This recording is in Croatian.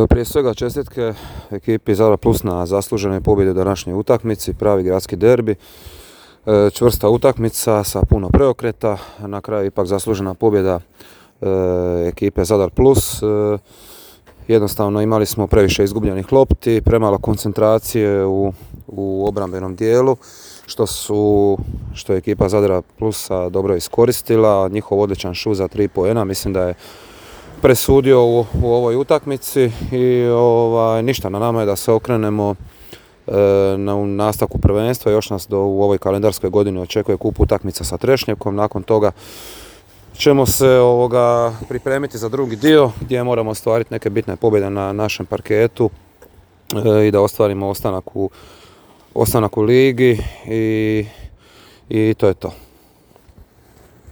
Prije svega čestitke ekipi Zadar Plus na zasluženoj pobjedi u današnjoj utakmici, pravi gradski derbi. Čvrsta utakmica sa puno preokreta, na kraju ipak zaslužena pobjeda ekipe Zadar Plus. Jednostavno imali smo previše izgubljenih lopti, premalo koncentracije u obrambenom dijelu, što je ekipa Zadara Plusa dobro iskoristila. Njihov odličan šut za 3 poena, mislim da je presudio u ovoj utakmici i ništa, na nama je da se okrenemo na nastavku prvenstva. Još nas u ovoj kalendarskoj godini očekuje kup utakmica sa Trešnjevkom. Nakon toga ćemo se pripremiti za drugi dio gdje moramo ostvariti neke bitne pobjede na našem parketu i da ostvarimo ostanak u ligi i to je to.